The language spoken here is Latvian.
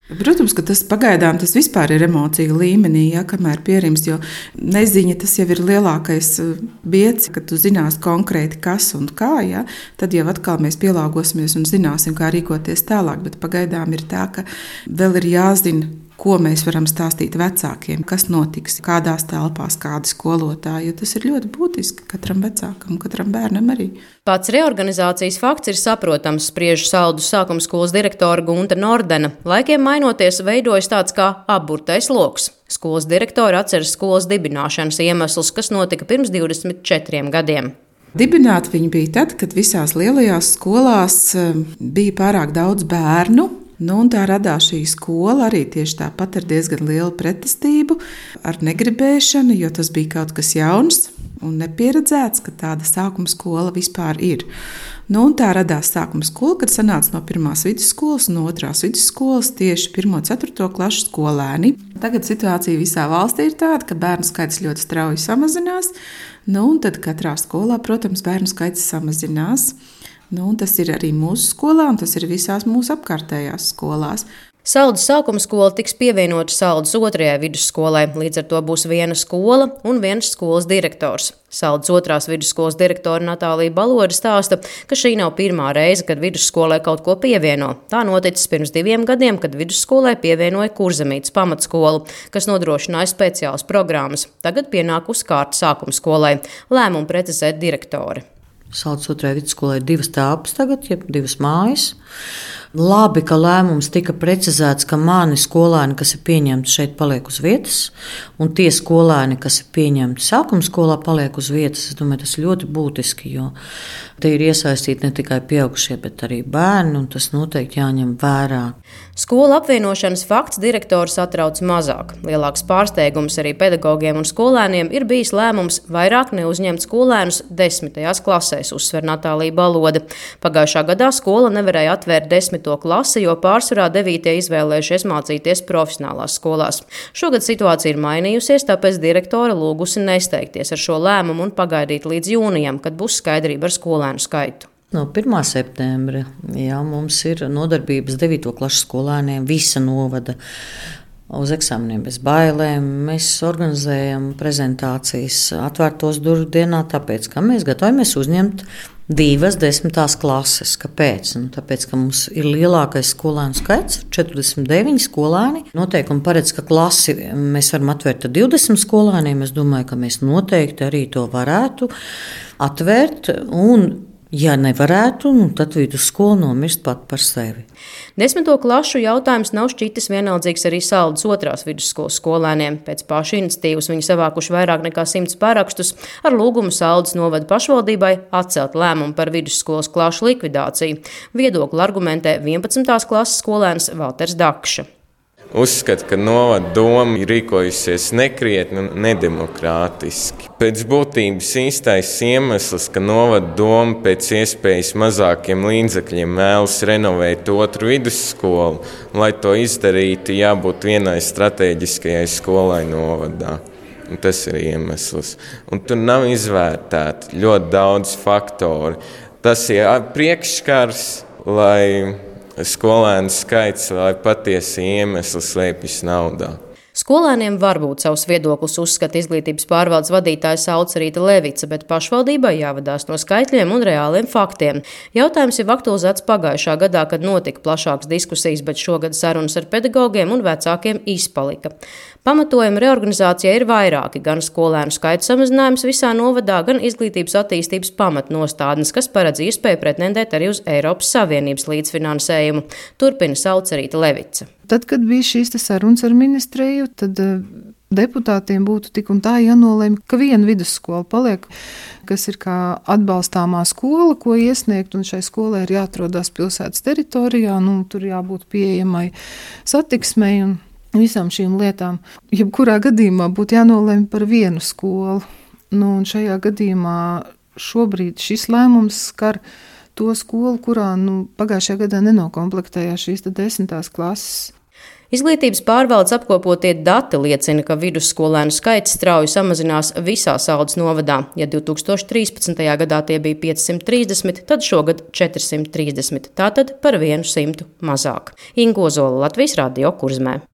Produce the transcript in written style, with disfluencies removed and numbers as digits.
Protams, ka tas pagaidām tas vispār ir emociju līmenī, ja, kamēr pierims, jo neziņa tas jau ir lielākais biedrs, ka tu zinās konkrēti kas un kā, ja, tad jau atkal mēs pielāgosimies un zināsim, kā rīkoties tālāk, bet pagaidām ir tā, ka vēl ir jāzina, ko mēs varam stāstīt vecākiem, kas notiks, kādās telpās, kādi skolotāji, jo tas ir ļoti būtiski katram vecākam, katram bērnam arī. Pats reorganizācijas fakts ir saprotams, spriež Saldus sākuma skolas direktora Gunta Nordena. Laikiem mainoties, veidojas tāds kā apburtais loks. Skolas direktora atceras skolas dibināšanas iemeslus, kas notika pirms 24 gadiem. Dibināt viņi bija tad, kad visās lielajās skolās bija pārāk daudz bērnu. Un tā radās šī skola arī tieši tāpat ar diezgan lielu pretestību, ar negribēšanu, jo tas bija kaut kas jauns un nepieredzēts, ka tāda sākuma skola vispār ir. Un tā radās sākuma skola, kad sanāca no 1. vidusskolas un 2. vidusskolas tieši 1. un 4. klašu skolēni. Tagad situācija visā valstī ir tāda, ka bērnu skaits ļoti strauji samazinās, un tad katrā skolā, protams, bērnu skaits samazinās. Tas ir arī mūsu skolā, un tas ir visās mūsu apkārtējās skolās. Saldus sākuma skola tiks pievienota Saldus 2. vidusskolai, līdz ar to būs viena skola un viens skolas direktors. Saldus 2. vidusskolas direktore Natālija Balode stāsta, ka šī nav pirmā reize, kad vidusskolai kaut ko pievieno. Tā noticis pirms 2 gadiem, kad vidusskolai pievienoja Kurzemītes pamatskolu, kas nodrošināja speciālas programmas. Tagad pienāk uz kārta sākuma skolai. Lēmumu precizēt direktori. Saldus 2. vidusskolai ir 2 telpas tagad, jeb 2 mājas. Labi, ka lēmums tika precizēts, ka mani skolēni, kas ir pieņemti šeit, paliek uz vietas, un tie skolēni, kas ir pieņemti sākuma skolā, paliek uz vietas. Es domāju, tas ir ļoti būtiski, jo te ir iesaistīti ne tikai pieaugušie, bet arī bērni, un tas noteikti jāņem vērā. Skolu apvienošanas fakts direktors atrauc mazāk. Lielāks pārsteigums arī pedagogiem un skolēniem ir bijis lēmums vairāk neuzņemt skolēnus 10. klasēs, uzsver Natālija Balode. Pagājušā gadā skola nevarēja atvērt 10. klasi, jo pārsvarā 9. izvēlējušies mācīties profesionālās skolās. Šogad situācija ir mainījusies, tāpēc direktore lūgusi nesteigties ar šo lēmumu un pagaidīt līdz jūnijam, kad būs skaidrība ar skolēnu skaitu. No 1. septembra mums ir nodarbības 9. klases skolēniem visa novada uz eksāmeniem bez bailēm. Mēs organizējam prezentācijas atvērtos durvju dienā, tāpēc, ka mēs gatavojamies uzņemt 2 10. klases. Kāpēc? Tāpēc, ka mums ir lielākais skolēnu skaits, 49 skolēni. Noteikumi paredz, ka klasi mēs varam atvērt ar 20 skolēniem. Es domāju, ka mēs noteikti arī to varētu atvērt, un ja nevarētu, tad vidusskola nomirst pat par sevi. 10. klašu jautājums nav šķitis vienaldzīgs arī Saldus 2. vidusskolas skolēniem. Pēc pašu iniciatīvas viņi savākuši vairāk nekā 100 parakstus ar lūgumu Saldus novada pašvaldībai atcelt lēmumu par vidusskolas klašu likvidāciju. Viedokli argumentē 11. klases skolēns Valters Dakša. Uzskatu, ka novada doma ir rīkojusies nekrietni un nedemokrātiski. Pēc būtības īstais iemesls, ka novada doma pēc iespējas mazākiem līdzekļiem vēlas renovēt 2. vidusskolu, un, lai to izdarītu, jābūt vienai stratēģiskajai skolai novadā. Un tas ir iemesls. Un tur nav izvērtēti ļoti daudz faktoru. Tas ir priekšskars, lai skolēnu skaits vai patiesi iemesli slēpjas naudā. Skolēniem var būt savs viedoklis, uzskata izglītības pārvaldes vadītāja Saucerīta Levica, bet pašvaldībai jāvadās no skaitļiem un reāliem faktiem. Jautājums jau aktualizēts pagājušā gadā, kad notika plašākas diskusijas, bet šogad sarunas ar pedagogiem un vecākiem izpalika. Pamatojumi reorganizācijai ir vairāki, gan skolēnu skaita samazinājums visā novadā, gan izglītības attīstības pamatnostādnes, kas paredz iespēju pretendēt arī uz Eiropas Savienības līdzfinansējumu. Turpina Saucerīta Levica. Tad, kad bija šīs sarunas ar ministriju, tad deputātiem būtu tik un tā jānolēma, ka viena vidusskola paliek, kas ir kā atbalstāmā skola, ko iesniegt, un šai skolai ir jāatrodas pilsētas teritorijā, tur jābūt pieejamai satiksmei un visām šīm lietām. Jebkurā gadījumā būtu jānolēma par vienu skolu. Un šajā gadījumā šobrīd šis lēmums skar to skolu, kurā pagājušajā gadā nenokomplektējās šīs 10. klases. Izglītības pārvaldes apkopotie dati liecina, ka vidusskolēnu skaits strauji samazinās visā Saldus novadā. Ja 2013. gadā tie bija 530, tad šogad 430, tātad par 100 mazāk. Inga Ozola, Latvijas Radio Kurzmē.